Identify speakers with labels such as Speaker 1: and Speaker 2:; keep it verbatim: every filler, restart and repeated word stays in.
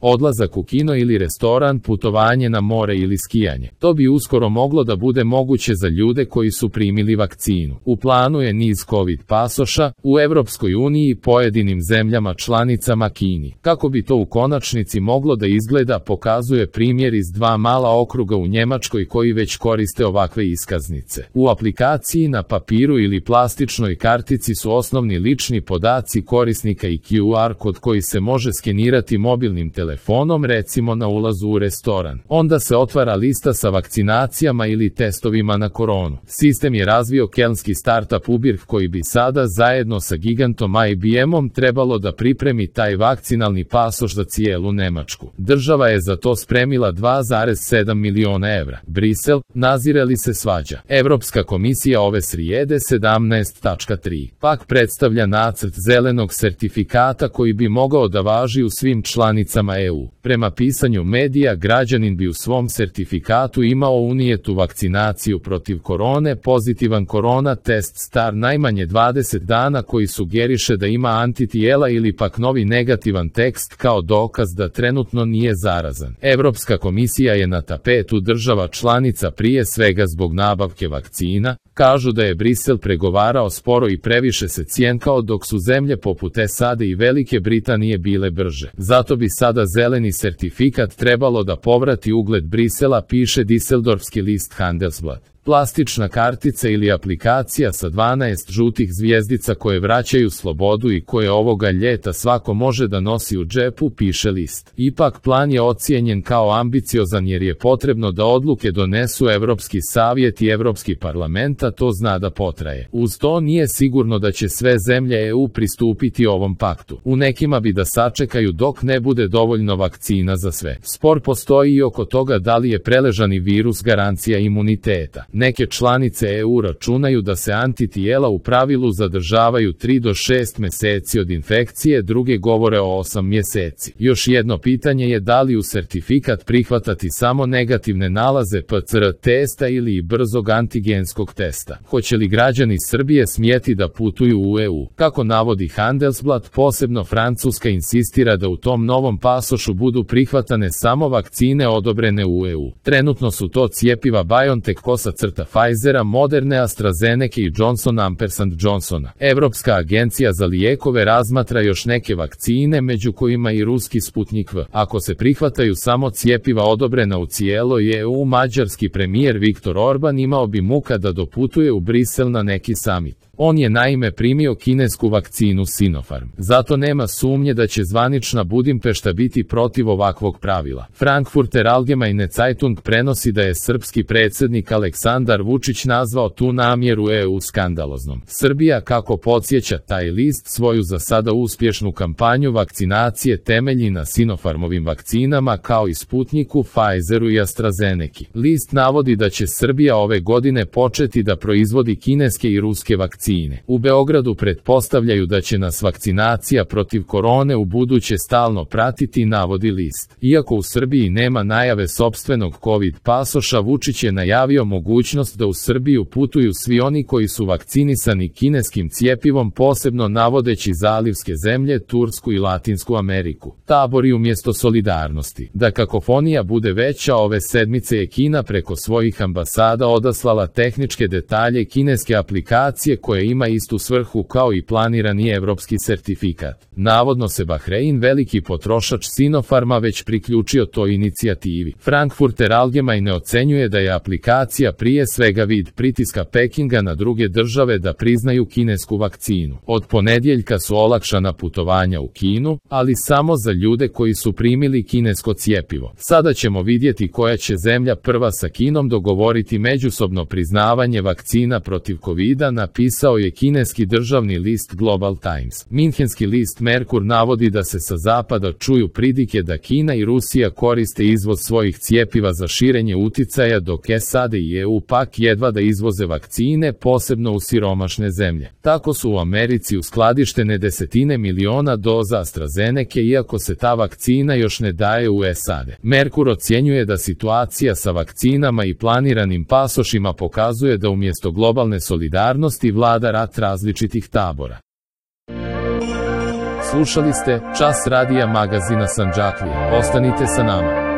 Speaker 1: Odlazak u kino ili restoran, putovanje na more ili skijanje. To bi uskoro moglo da bude moguće za ljude koji su primili vakcinu. U planu je niz COVID pasoša u Evropskoj uniji i pojedinim zemljama članicama Kini. Kako bi to u konačnici moglo da izgleda, pokazuje primjer iz dva mala okruga u Njemačkoj koji već koriste ovakve iskaznice. U aplikaciji na papiru ili plastičnoj kartici su osnovni lični podaci korisnika i Q R kod koji se može skenirati mobilnim telefonom, recimo na ulazu u restoran. Onda se otvara lista sa vakcinacijama ili testovima na koronu. Sistem je razvio kelnski startup Ubirk koji bi sada zajedno sa gigantom I B M-om trebalo da pripremi taj vakcinalni pasoš za cijelu Nemačku. Država je za to spremila dva zarez sedam miliona evra. Brisel, nazire li se svađa? Evropska komisija ove srijede sedamnaest tačka tri pak predstavlja nacrt zelenog sertifikata koji bi mogao da važi u svim članicama E U. Prema pisanju medija, građanin bi u svom sertifikatu imao unijetu vakcinaciju protiv korone, pozitivan korona test star najmanje dvadeset dana koji sugeriše da ima antitijela ili pak novi negativan tekst kao dokaz da trenutno nije zarazan. Evropska komisija je na tapetu država članica prije svega zbog nabavke vakcina. Kažu da je Brisel pregovarao sporo i previše se cjenkao dok su zemlje poput S A D i Velike Britanije bile brže. Zato bi sada zeleni sertifikat trebalo da povrati ugled Brisela, piše Düsseldorfski list Handelsblatt. Plastična kartica ili aplikacija sa dvanaest žutih zvijezdica koje vraćaju slobodu i koje ovoga ljeta svako može da nosi u džepu, piše list. Ipak plan je ocijenjen kao ambiciozan jer je potrebno da odluke donesu Evropski savjet i Evropski parlament, a to zna da potraje. Uz to nije sigurno da će sve zemlje E U pristupiti ovom paktu. U nekima bi da sačekaju dok ne bude dovoljno vakcina za sve. Spor postoji i oko toga da li je preležani virus garancija imuniteta. Neke članice E U računaju da se antitijela u pravilu zadržavaju tri do šest meseci od infekcije, druge govore o osam mjeseci. Još jedno pitanje je da li u sertifikat prihvatati samo negativne nalaze P C R testa ili i brzog antigenskog testa. Hoće li građani Srbije smjeti da putuju u E U? Kako navodi Handelsblatt, posebno Francuska insistira da u tom novom pasošu budu prihvatane samo vakcine odobrene u E U. Trenutno su to cjepiva BioNTech, kosa crta Pfizera, Moderne, AstraZeneca i Johnson ampersand Johnsona. Evropska agencija za lijekove razmatra još neke vakcine, među kojima i ruski Sputnik V. Ako se prihvataju samo cjepiva odobrena u cijeloj E U, mađarski premijer Viktor Orban imao bi muka da doputuje u Brisel na neki samit. On je naime primio kinesku vakcinu Sinopharm. Zato nema sumnje da će zvanična Budimpešta biti protiv ovakvog pravila. Frankfurter Allgemeine Zeitung prenosi da je srpski predsjednik Aleksandar Vučić nazvao tu namjeru E U skandaloznom. Srbija, kako podsjeća taj list, svoju za sada uspješnu kampanju vakcinacije temelji na Sinopharmovim vakcinama kao i Sputniku, Pfizeru i AstraZeneki. List navodi da će Srbija ove godine početi da proizvodi kineske i ruske vakcine. U Beogradu pretpostavljaju da će nas vakcinacija protiv korone u buduće stalno pratiti, navodi list. Iako u Srbiji nema najave sopstvenog COVID pasoša, Vučić je najavio mogućnost da u Srbiju putuju svi oni koji su vakcinisani kineskim cjepivom, posebno navodeći zalivske zemlje, Tursku i Latinsku Ameriku. Tabori umjesto solidarnosti. Da kakofonija bude veća, ove sedmice je Kina preko svojih ambasada odaslala tehničke detalje kineske aplikacije koje ima istu svrhu kao i planirani evropski sertifikat. Navodno se Bahrein, veliki potrošač Sinopharma, već priključio toj inicijativi. Frankfurter Allgemeine ocenjuje da je aplikacija prije svega vid pritiska Pekinga na druge države da priznaju kinesku vakcinu. Od ponedjeljka su olakšana putovanja u Kinu, ali samo za ljude koji su primili kinesko cjepivo. Sada ćemo vidjeti koja će zemlja prva sa Kinom dogovoriti međusobno priznavanje vakcina protiv kovida, napisao je kineski državni list Global Times. Minhenski list Merkur navodi da se sa zapada čuju pridike da Kina i Rusija koriste izvoz svojih cijepiva za širenje uticaja, dok S A D i E U pak jedva da izvoze vakcine, posebno u siromašne zemlje. Tako su u Americi uskladištene desetine miliona doza AstraZeneke, iako se ta vakcina još ne daje u S A D. Merkur ocjenjuje da situacija sa vakcinama i planiranim pasošima pokazuje da umjesto globalne solidarnosti vlada rat različitih tabora. Slušali ste Čas radija magazina Sandžaklija. Ostanite sa nama.